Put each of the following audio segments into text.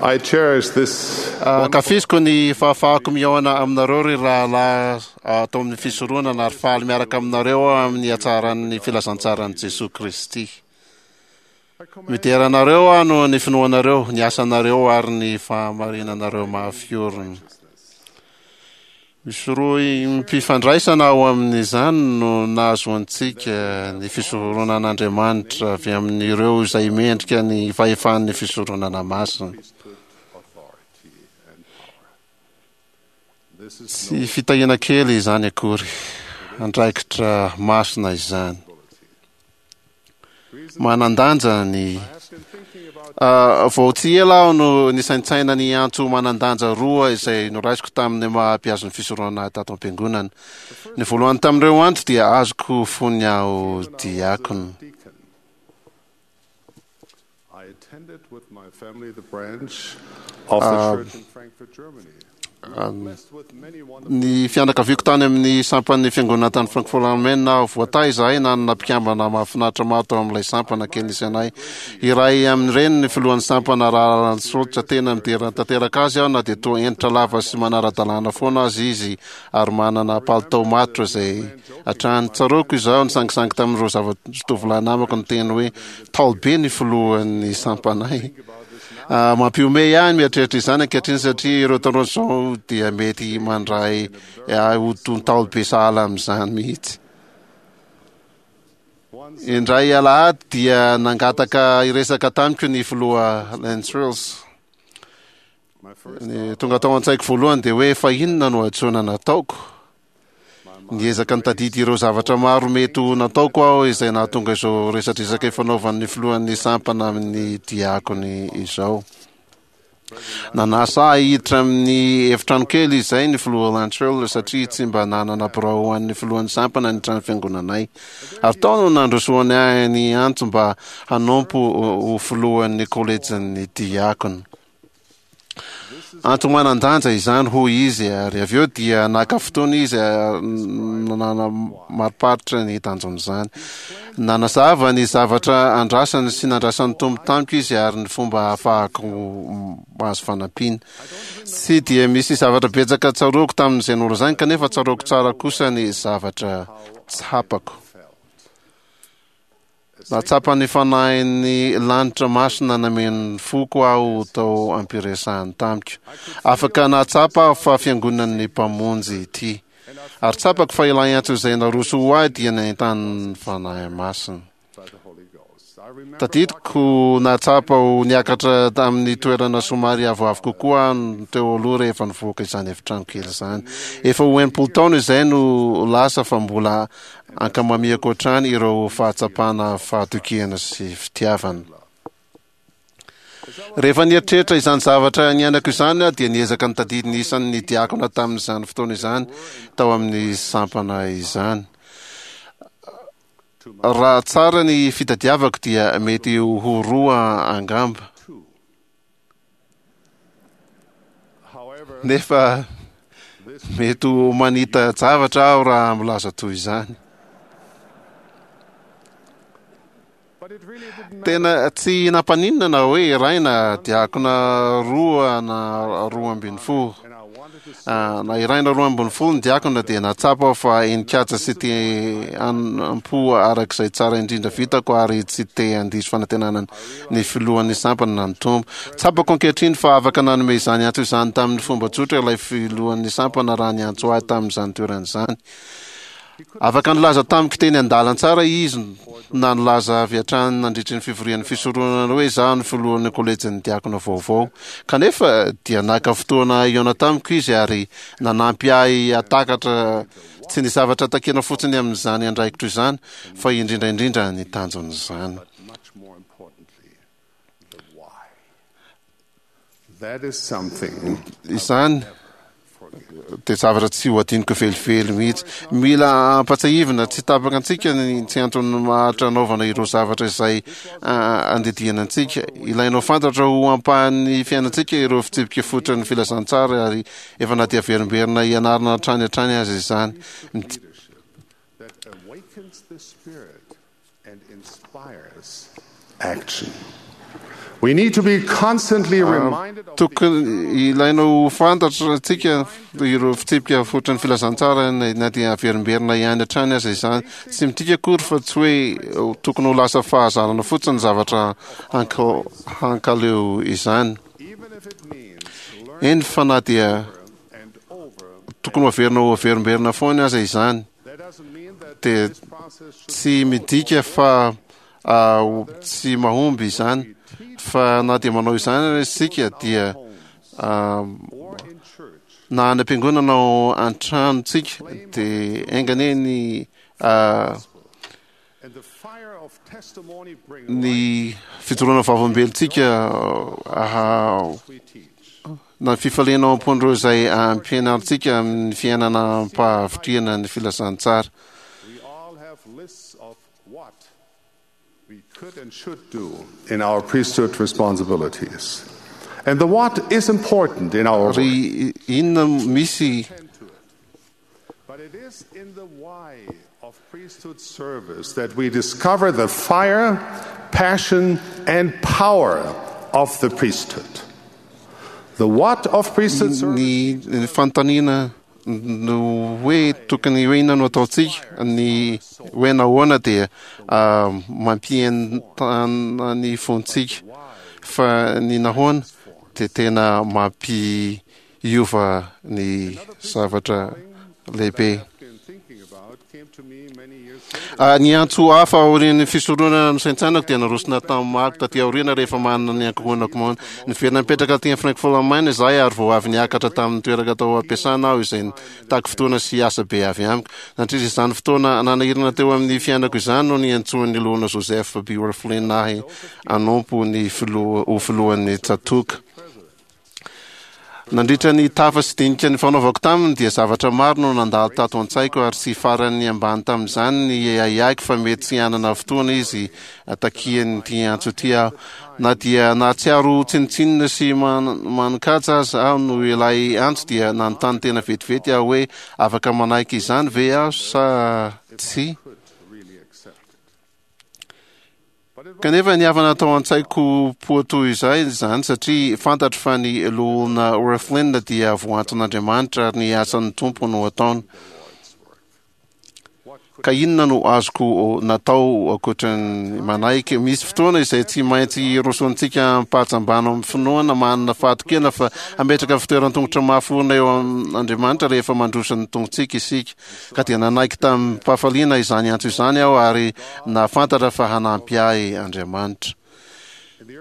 I cherish this Ankafiziko ny fahafahako mihaona aminareo ry rahalahy ato amin'ny fisoronana ary faly miaraka aminareo aho amin'ny hatsaran'ny filazantsaran'i Jesoa Kristy. Midera anareo aho noho ny finoanareo, ny asanareo ary ny fahamarinanareo mafy orina. Misy rohim-pifandraisana ao amin'izany no nahazoantsika ny fisoronan'Andriamanitra avy amin'ireo izay mendrika ny fahefan'ny fisoronana masina. Tsy fitahiana kely izany akory, andraikitra masina izany. Manan-danja ny Vao tsy ela aho no nisaintsaina ny antso manan-danja roa izay noraisiko tamin'ny maha mpihazo ny fisoronana ahy tato am-piangonana. Ny voalohany tamin'ireo antso dia azoko fony aho diakona. I attended with my family the branch of the church in Frankfurt, Germany. Ny fianakaviako tany amin'ny sampan'ny fiangonana tany Frankfurt am Main aho. Voatahy izahay nanana mpikambana mahafinaritra maro tao amin'ilay sampana kely nisy anay. Iray amin'ireny ny filohan'ny sampana Rahalahy Schultz. Tena midera tanteraka azy aho na dia toa hentitra lava sy manara-dalàna foana aza izy ary manana palitao matotra izay hatrany. Tsaroako izaho nisangisangy tamin'ireo zava-tovolahy namako niteny hoe Ntaolo be ny filohan'ny sampanay. Mampihomehy ahy ny mieritreritra izany ankehitriny satria ireo tanora izao dia mety mandray ahy ho toy ntaolo be sahala amin'izany mihitsy. Indray alahady dia nangataka hiresaka tamiko ny filoha Lentz Ny tonga tao an-tsaiko voalohany dia hoe fa inona no hadisoana nataoko? Niezaka nitadidy ireo zavatra maro mety ho nataoko aho izay nahatonga izao resadresaka ifanaovan'ny filohan'ny sampana amin'ny diakony izao. Nanasa ahy hiditra amin'ny efitrano kely izay ny filoha Lantrell satria tsy mba nanana birao ho an'ny filohan'ny sampana ny trano fiangonanay. Ary tao no nandrosoany ahy ny antso mba hanompo ho filohan'ny kolejin'ny diakona. Antony manan-danja izany, hoy izy, ary avy eo dia naka fotoana izy nanamariparitra ny tanjon'izany. Nanazava ny zavatra andrasany sy nandrasan'ny Tompo tamiko izy ary ny fomba ahafahako mahazo fanampiana. Tsy dia misy zavatra betsaka tsaroako tamin'izay nolazainy kanefa tsaroako tsara kosa ny zavatra tsapako. Nahatsapa ny Fanahin'ny lanitra masina nameno ny foko aho tao am-piresahany tamiko. Afaka nahatsapa aho fa Fiangonan'ny Mpamonjy ity. Ary tsapako fa ilay antso izay naroso ho ahy dia nentanin'ny Fanahy Masina. Tadidiko nahatsapa ho niakatra tamin'ny toerana somary avoavo kokoa aho teo aloha rehefa nivoaka izany efitrano kely izany. Efa ho 60 taona izay no lasa fa mbola Ankamamiako hatrany ireo fahatsapana fahatokiana sy fitiavana. Rehefa nieritreritra izany zavatra niainako izany aho dia niezaka nitadidy ny isan'ny diakona tamin'izany fotoana izany tao amin'ny sampana izany. Raha tsara ny fitadiavako dia mety ho roa angamba. Nefa mety ho manita-javatra aho raha milaza toy izany. Tena tsy nampaninona na hoe iray na diakona roa na 12. Na iray na 12 ny diakona dia nahatsapa aho fa henin-kaja sy te hanompo araka izay tsara indrindra vitako ary tsy te handiso fanantenana ny filohan'ny sampana na ny Tompo. Tsapako ankehitriny fa afaka nanome izany antso izany tamin'ny fomba tsotra ilay filohan'ny sampana raha niantso ahy tamin'izany toerana izany. Afaka nilaza tamiko teny an-dalantsara izy na nilaza avy hatrany nandritry ny fivorian'ny fisoronana hoe izaho no filohan'ny kolejin'ny diakona vaovao. Kanefa dia naka fotoana hihaona tamiko izy ary nanampy ahy hahatakatra tsy ny zavatra takiana fotsiny amin'izany andraikitro izany fa indrindra indrindra ny tanjon'izany. much more importantly, the why. That is something Izany dia zavatra tsy ho adinoko velively mihitsy. Mila ampatsiahivina tsy tapaka antsika ny tsy antony maharitra anaovana ireo zavatra izay andidiana antsika. Ilainao fantatra ho ampahan'ny fiainantsika ireo fitsipika fototra ny filazantsara ary efa na dia averimberina hianarana hatrany hatrany aza izany. That awakens the spirit and inspires action. We need to be constantly reminded of Tokony ilaina ho fantatrtsika ireo fitsipika fototry ny filazantsara na dia averimberina ihany hatrany aza izany. Tsy midika akory fa tsy hoe tokony ho lasa fahazarana fotsiny ny zavatra hankaleo izany. even if it means Eny fa na dia and over. tokony ho averina ho averimberina foana aza izany, That doesn't mean that dia this process should tsy midika fa tsy mahomby izany, fa na dia manao izany isika dia or in church na any am-piangonana ao an-tranontsika dia enga anie ny and the fire of testimony bring ny fijoroana vavolombelontsika we teach. na ny fifaliana ao am-pon'ireo izay ampianarintsika amin'ny fiainana am-pahavitrihana ny filazantsara. We all have lists of what we could and should do in our priesthood responsibilities. And the what is important in our work. Ary inona misy Tend to it. But it is in the why of priesthood service that we discover the fire, passion, and power of the priesthood. The what of priesthood service ny fanontaniana no hoe tokony hoe inona no ataontsika, ny hoe nahoana dia mampientana ny fontsika, fa ny nahoana dia tena mampiova ny zavatra lehibe. I've been thinking about came to me many years later. Ny antso hafa aorian'ny fisoronana nosaintsainako dia narosona tamin'ny maro taty aoriana rehefa manana ny ankohonako maona. Niverina nipetraka aty amin'ny Frankfurt am Main izahay ary vao avy niakatra tamin'ny toerana tao am-piasana aho izay nitaky fotoana sy asa be avy amiko. Nandritra izany fotoana nanahirana teo amin'ny fiainako izany no niantsoan'ny loholona Joseph B. Wirthlin ahy hanompo ny filoha ho filohan'ny tsatòka. Nandritra ny tafa sy dinika nifanaovako taminy dia zavatra maro no nandalo tato an-tsaiko ary tsy faran'ny ambany tamin'izany ny ahiahiko fa mety tsy hanana fotoana izy takian'ity antso ity aho. Na dia nahatsiaro ho tsinontsinona sy manin-kaja aza aho noho ilay antso dia nanontany tena vetivety aho hoe afaka manaiky izany ve aho sa tsia? Could really accept it. Kanefa ny havana tao an-tsaiko poa toy izay izany satria fantatro fa ny loholona Wirthlin dia voantson'Andriamanitra ary ny asan'ny Tompo no ataony. Ka inona no azoko natao ankoatran'ny manaiky? Misy fotoana izay tsy maintsy hirosoantsika am-pahajambana amin'ny finoana manana fahatokiana fa hametraka fitoeran-tongotra mafy orina eo amin'Andriamanitra rehefa mandroso ny tongotsika isika. Ka dia nanaiky tamim-pahafaliana izany antso izany aho ary nahafantatra fa hanampy ahy Andriamanitra.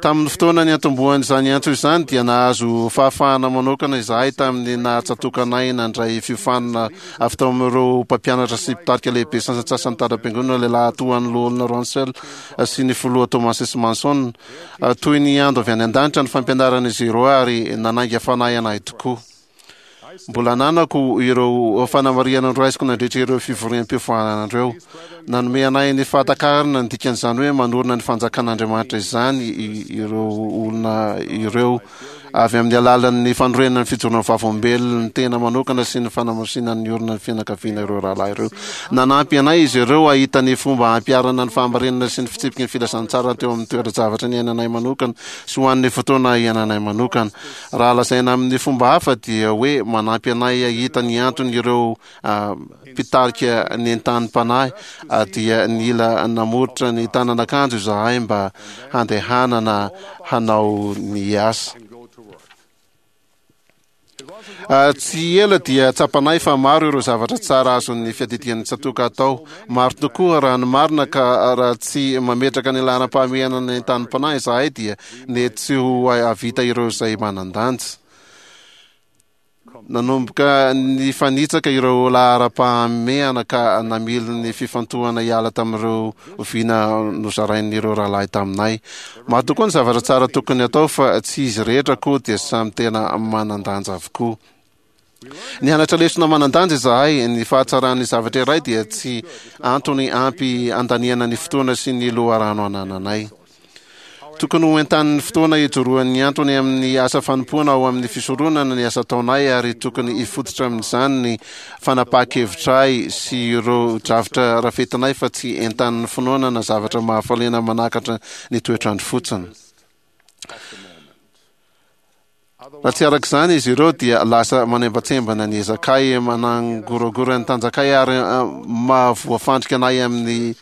Tamin'ny fotoana niantombohan'izany antso izany dia nahazo fahafahana manokana izahay tamin'ny nahatsatokanay nandray fiofanana avy tao amin'ireo mpampianatra sy mpitarika lehibe sasantsasany tany am-piangonana lehilahy toa an'i Loholona Russell sy ny filoha Thomas S. Monson. Toy ny ando avy any an-danitra ny fampianaran'izy ireo ary nanainga fanahy anay tokoa. Mbola ananako ireo fanamarihana noraisiko nandritra ireo fivoriam-piofanana ireo. Nanome anay ny fahatakarana ny dikan'izany hoe manorina ny fanjakan'Andriamanitra izany ireo olona ireo avy amin'ny alalan'ny fanorenana ny fijoroana vavolombelon'ny tena manokana sy ny fanamasinana ny orina ny fianakaviana ireo rahalahy ireo. Nanampy anay izy ireo hahita ny fomba hampiharana ny fahamarinana sy ny fitsipiky ny filazantsara teo amin'ny toeran-javatra niainanay manokana sy ho an'ny fotoana iainanay manokana. Raha lazaina amin'ny fomba hafa dia hoe manampy anay hahita ny antony ireo mpitarika nentanim-panahy dia nila namoritra ny tanan'akanjo izahay mba handehanana hanao ny asa. Tsy ela dia tsapanay fa maro ireo zavatra tsara azon'ny fiadidian'ny tsatòka atao. Maro tokoa raha ny marina ka raha tsy mametraka ny laharam-pahamehana ny entanim-panahy izahay dia nety tsy ho hahavita ireo izay manan-danja. Nanomboka nifanitsaka ireo laharam-pahamehana ka namily ny fifantohana hiala tamin'ireo vina nozarain'ireo rahalahy taminay. Maro tokoa ny zavatra tsara tokony atao fa tsy izy rehetra koa dia samy tena manan-danja avokoa. Nianatra lesona manan-danja izahay, ny fahatsaran'ny zavatra iray dia tsy antony ampy handaniana ny fotoana sy ny loharano anananay. Tokony ho entanin'ny fotoana ijoroan'ny antony amin'ny asa fanompoana ao amin'ny fisoronana ny asa ataonay ary tokony hifototra amin'izany ny fanapahan-kevitray sy ireo drafitra rafetinay fa tsy entanin'ny finoana na zavatra mahafaliana manakatra ny toetr'andro fotsiny. Raha tsy araka izany izy ireo dia lasa manembatsembana ny ezakay, manangoragora ny tanjakay ary mahavoafandrika anay amin'ny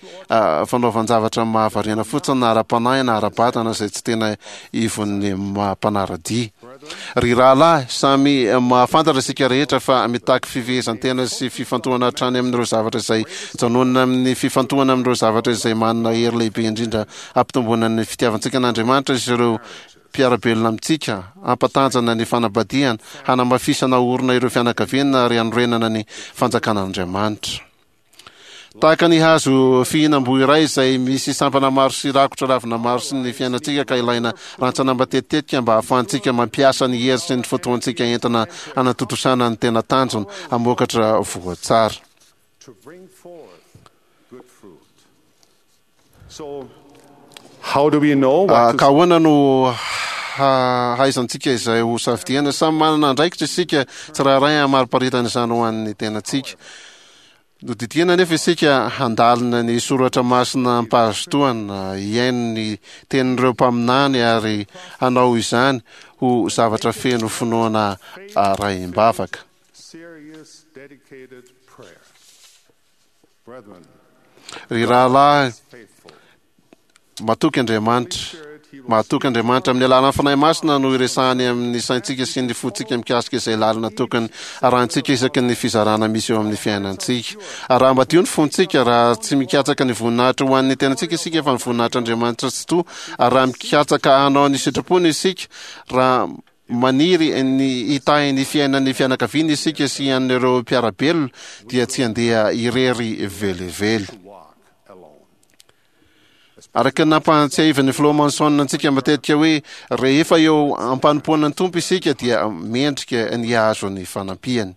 fanaovan-javatra mahavariana fotsiny na ara-panahy na ara-batana izay tsy tena ivon'ny maha mpanara-dia. Ry rahalahy, samy mahafantatra isika rehetra fa mitaky fifehezan-tena sy fifantohana hatrany amin'ireo zavatra izay janonina amin'ny fifantohana amin'ireo zavatra izay manana hery lehibe indrindra hampitomboana ny fitiavantsika an'Andriamanitra sy ireo mpiara-belona amintsika, hampatanjana ny fanambadiana, hanamafisana orina ireo fianakaviana ary hanorenana ny fanjakan'Andriamanitra. Tahaka ny hazo fihinam-boa iray izay misy sampana maro sy rakotra ravina maro sy ny fiainantsika ka ilaina rantsana matetitetika mba hahafahantsika mampiasa ny hery sy ny fotoantsika entina hanatontosana ny tena tanjona, hamokatra voa tsara. Ka ahoana no hahaizantsika izay ho safidiana? Samy manana andraikitra isika tsirairay hamariparitana izany ho an'ny tenantsika. Nodidiana anefa isika handalina ny soratra masina am-pahazotoana, hihaino ny tenin'ireo mpaminany ary hanao izany ho zavatra feno finoana arahim-bavaka. Ry rahalahy, matoky Andriamanitra. Mahatoky Andriamanitra amin'ny alalan'ny Fanahy Masina no iresahany amin'ny saintsika sy ny fontsika mikasika izay lalana tokony harahintsika isaky ny fizarana misy eo amin'ny fiainantsika. Ary raha madio ny fontsika, raha tsy mikatsaka ny voninahitra ho an'ny tenantsika isika fa ny voninahitr'Andriamanitra Tsitoha, ary raha mikatsaka hanao ny sitrapony isika, raha Maniry ny hitahy ny fiainan'ny fianakaviana isika sy an'ireo mpiara-belona dia tsy handeha irery velively. Araka ny nampahatsiahivan'ny Filoha Monson antsika matetika hoe rehefa eo am-panompoana ny Tompo isika dia mendrika ny hahazo ny fanampiany.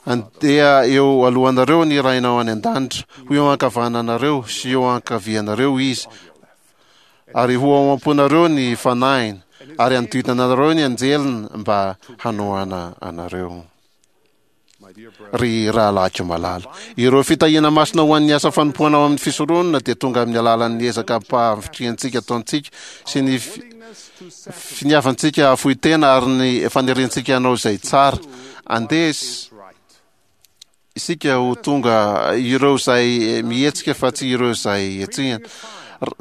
Andeha eo alohanareo ny Rainao any an-danitra, ho eo ankavananareo sy eo ankavianareo Izy, Ary ho ao am-ponareo ny Fanahiny, ary hanodidina anareo ny anjeliny mba hanohana anareo. Ry rahalahiko malala, ireo fitahiana masina ho an'ny asa fanompoana ao amin'ny fisoronana dia tonga amin'ny alalan'ny ezaka am-pahavitrihantsika ataontsika sy ny finiavantsika hahafoy tena ary ny faniriantsika hanao izay tsara. Andeha Isika ho tonga ireo izay mihetsika fa tsy ireo izay hetsehina.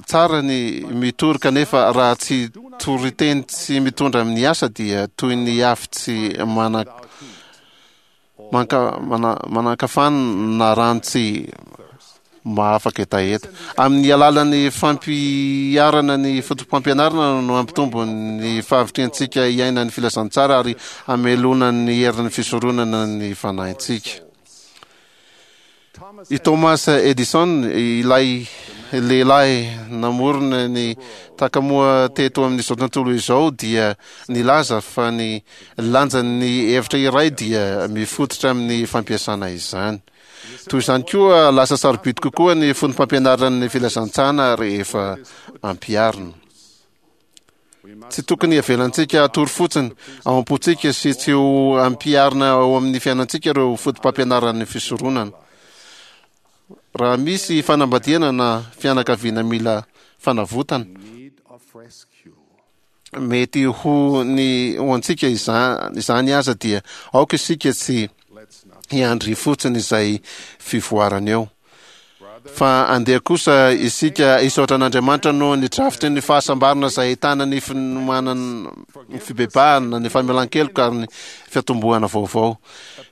Tsara ny mitory kanefa raha tsy toriteny tsy mitondra amin'ny asa dia toy ny afo tsy manan-kafana na rano tsy mahafaka hetaheta. Amin'ny alalan'ny fampiharana ny fotopampianarana no hampitombo ny fahavitrihantsika hiaina ny filazantsara ary hamelona ny herin'ny fisoronana ny fanahintsika. I Thomas Edison, ilay lehilahy namorona ny takamoa teto amin'izao tontolo izao dia nilaza fa ny lanjan'ny hevitra iray dia mifototra amin'ny fampiasana izany. Toy izany koa, lasa sarobidy kokoa ny fotopampianaran'ny filazantsana rehefa ampiharina. Tsy tokony havelantsika hatory fotsiny ao am-pontsika sy tsy ho ampiharina ao amin'ny fiainantsika ireo fotopampianaran'ny fisoronana. Raha misy fanambadiana na fianakaviana mila fanavotana, mety ho ny ho antsika izany aza dia aoka isika tsy hiandry fotsiny izay fivoarana eo fa andeha kosa isika hisaotra an'Andriamanitra noho ny drafitry ny fahasambarana izay ahitana ny finomanana ny fibebahana ny famelan-keloka ary ny fiatombohana vaovao.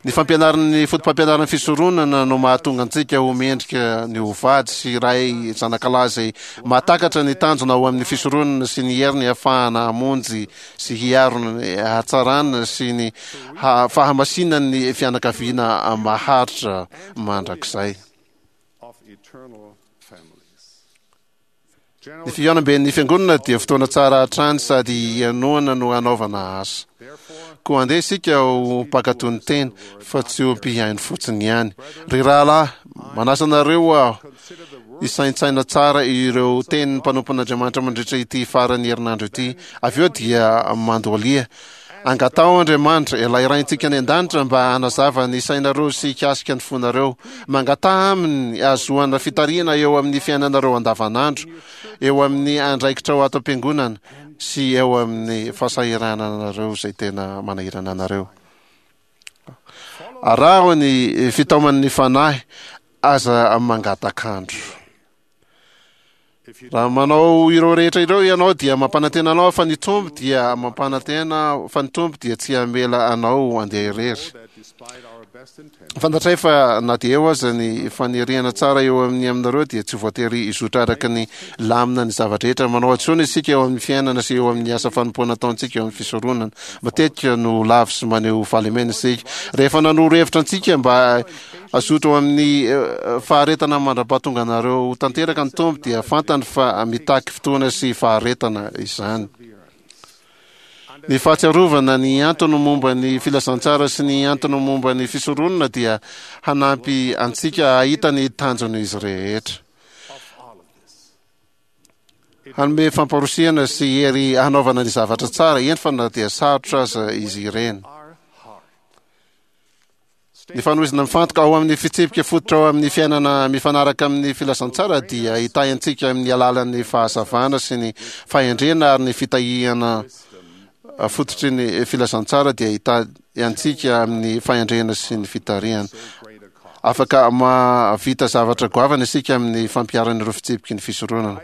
Ny fampianaran'ny fotopampianaran'ny fisoronana no mahatonga antsika ho mendrika ny ho vady sy ray zanakalahy izay mahatakatra ny tanjona ao amin'ny fisoronana sy ny heriny hahafahana hamonjy sy hiaro ny hatsarana sy ny fahamasinan'ny fianakaviana maharitra mandrakizay. Ny fihaonamben'ny Fiangonana dia fotoana tsara hatrany sady hihainoana no hanaovana asa. Koa andeha isika ho mpankatò ny teny, fa tsy ho mpihaino fotsiny ihany. Ry rahalahy, manasa anareo aho hisaintsaina tsara ireo tenin'ny mpanompon'Andriamanitra mandritra ity faran'ny herinandro ity. Avy eo dia mandohalia. Angataho Andriamanitra, ilay Raintsika any an-danitra, mba hanazava ny sainareo sy hikasika ny fonareo. Mangataha Aminy hahazoana fitarihana eo amin'ny fiainanareo andavanandro, eo amin'ny andraikitrao ato am-piangonana. sy eo amin'ny fahasahirananareo izay tena manahirana anareo. Araho ny fitaoman'ny Fanahy, aza mangatak'andro. Raha manao ireo rehetra ireo ianao dia mampanantena anao fa ny Tompo dia mampanantena fa ny Tompo dia tsy hamela anao handeha irery. Fantatray fa na dia eo aza ny faniriana tsara eo amin'ny aminareo dia tsy voatery hizotra araka ny lamina ny zava-drehetra. Manao hadisoana isika eo amin'ny fiainana sy eo amin'ny asa fanompoana ataontsika eo amin'ny fisoronana. Matetika no lavo sy maneho fahalemena isika. Rehefa nanoro hevitra antsika mba hazoto ao amin'ny eh, faharetana mandra-pahatonga anareo ho tanteraka ny Tompo dia fantany fa mitaky fotoana sy faharetana izany. Ny fahatsiarovana ny antony momba ny filazantsara sy ny antony momba ny fisoronana dia hanampy antsika hahita ny tanjon'izy rehetra. Hanome famporosihana sy hery hanaovana ny zavatra tsara, eny fa na dia sarotra aza izy ireny. Ny fanohizana mifantoka ao amin'ny fitsipika fototra ao amin'ny fiainana mifanaraka amin'ny filazantsara dia hitahy antsika amin'ny alalan'ny fahazavana sy ny fahendrena ary ny fitahiana fototry ny filazantsara dia hitahy antsika amin'ny fahendrena sy ny fitarihana. Afaka mahavita zavatra goavana isika amin'ny fampiharana ireo fitsipiky ny fisoronana.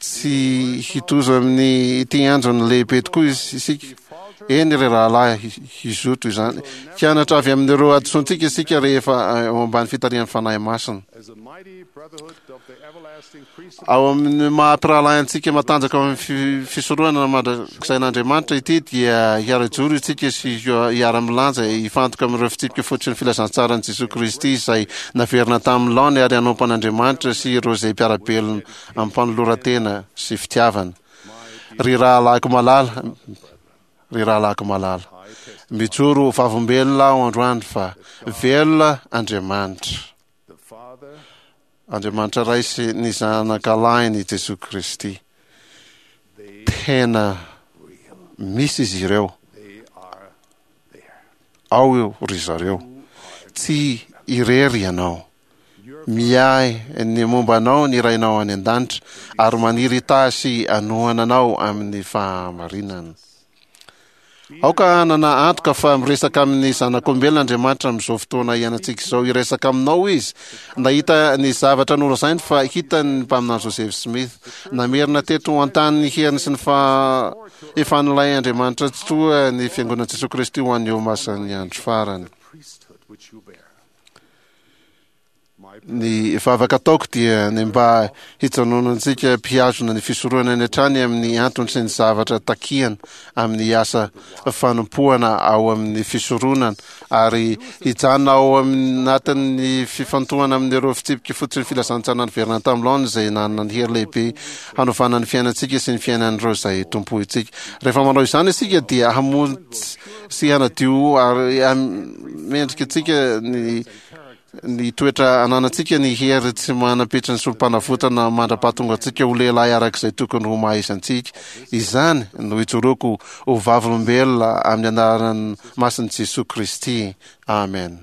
Tsy hitozo amin'ny ity anjony lehibe tokoa isika. Eny ry rahalahy, hizoto izany. Hianatra avy amin'ireo hadisoantsika isika rehefa eo ambany fitarihan'ny Fanahy Masina. Ao amin'ny maha mpirahalahy antsika matanjaka ao amin'ny fisoronana mandrakizain'Andriamanitra ity dia hiara-joro isika sy hiara-milanja hifantoka amin'ireo fitsipika fototry ny filazantsaran'i Jesoa Kristy izay naverina tamin'ny laony ary hanompo an'Andriamanitra sy ireo izay mpiara-belona amim-panoloran-tena sy fitiavana. Ry rahalahiko malala, ry rahalahiko malala, mijoro ho vavombelona aho androany fa velona Andriamanitra. Andriamanitra Ray sy ny Zanakalahiny Jesoa Kristy. Tena misy izy ireo. Ao io ry zareo. Tsy irery ianao. Miahy ny momba anao ny Rainao any an-danitra ary maniry hitahy sy hanohana anao amin'ny fahamarinana. Aoka hanana antoka fa miresaka amin'ny zanak'olombelona Andriamanitra amin'izao fotoana iainantsika izao. Hiresaka aminao Izy. Nahita ny zavatra nolazainy fa hitany ny mpaminany Joseph Smith. Namerina teto an-tany ny heriny sy ny fahefan'ilay Andriamanitra Tsitoha ny Fiangonan'i Jesoa Kristy ho an'ny Olomasin'ny Andro Farany. Ny vavaka ataoko dia ny mba hijanonantsika mpihazona ny fisoronana any hatrany amin'ny antony sy ny zavatra takiana amin'ny asa fanompoana ao amin'ny fisoronana ary hijanona ao anatin'ny fifantohana amin'ireo fitsipika fototry ny filazantsara niverina tamin'ny laoniny izay nanana ny hery lehibe hanovana ny fiainantsika sy ny fiainan'ireo izay tompointsika. Rehefa manao izany isika dia hamonjy sy hanadio ary mendrika antsika ny ny toetra ananantsika ny hery tsy manam-petry ny solom-panavotana mandra-pahatonga antsika ho lehilahy araka izay tokony ho maha izy antsika. Izany no ijoroako ho vavolombelona amin'ny anaran'ny masin'i Jesoa Kristy. Amen.